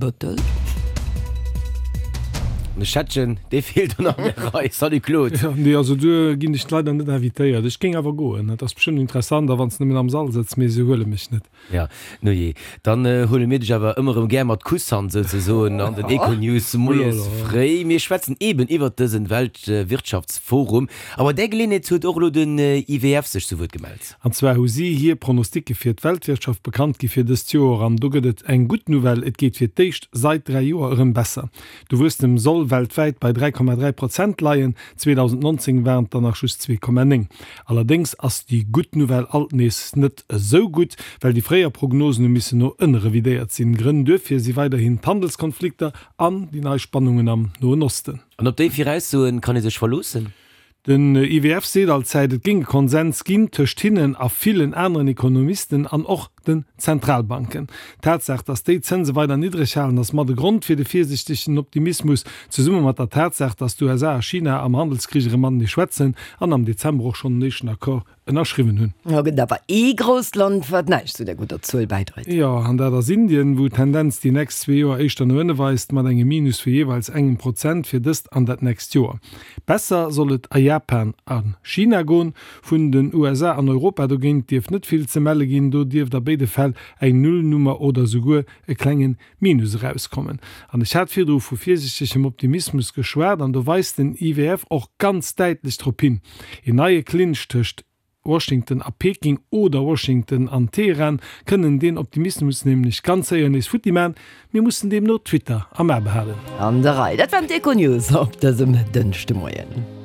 Bëttel. De Schettgen, dee feelt dann an der Rei. Salut Claude. Jo, nee, also do ginn ech leider net invitéiert. Ech géing awer goen. Dat ass bestëmmt interessant, a wann s nëmmen am Sall sëtz, mee se huele mech net. Ja, nujee, dann huele mir dech awer ëmmer erëm gär mat Kusshand souzesoen an den Econews moies fréi. Mir schwätzen eeben iwwert dësen Weltwirtschaftsforum. A bei där Geleeënheet huet och elo den IWF sech zu Wuert gemellt. An zwar hu si hir Pronosticke fir d'Weltwirtschaft bekannt gi fir dëst Joer. An do gëtt et eng gutt Nouvelle, Et geet fir d'éischt sait 3 Joer erëm besser. De Wuesstem soll weltwäit bei 3,3 Prozent leien, 2019 waren et der nach just 2,9. Allerdéngs ass déi gutt Nouvelle alt nees net esou gutt, well déi fréier Prognosen hu missen no ënne revidéiert sinn. Grënn duerfir si weiderhin d'Handelskonflikter an déi nei Spannungen am Noen Osten. An op déi Viraussoen kann ee sech verloossen? Den IWF seet allzäit, et géing e Konsens ginn tëscht hinnen a villen aneren Ekonomisten an och den Zentralbanken. D'Tatsaach, datt déi d'Zënse weider niddreg halen, ass mat e Grond fir de virsiichtegen Optimismus, zesumme mat der Tatsaach, datt d'USA a China am Handelskrich erëm matenee schwätzen an am Dezember och schonn en éischten Accord ënnerschriwwen hunn. Jo, gëtt awer ee grousst Land, wat näischt zu der gudder Zuel bäidréit. Jo, an dat ass Indien, wou d'Tendenz déi nächst zwee Joer éischter no ënne weist, mat engem Minus vu jeeweils engem Prozent fir dëst an dat nächst Joer. Besser soll et a Japan a China goen. Vun den USA an Europa dogéint dierft net vill ze melle ginn, do dierft a béide Fäll eng Nullnummer oder souguer e klenge Minus erauskommen. An ech hat virdru vu virsichtegem Optimismus geschwat, an do weist den IWF och ganz däitlech drop hin, een neie Clinch tëscht Washington a Peking oder Washington an Teheran kënnen deen Optimismus nämlech ganz séier nees futti man. Mir mussen deemno Twitter am A behalen. An der Rei. Dat waren d'Econews op dësem Dënschdemoien.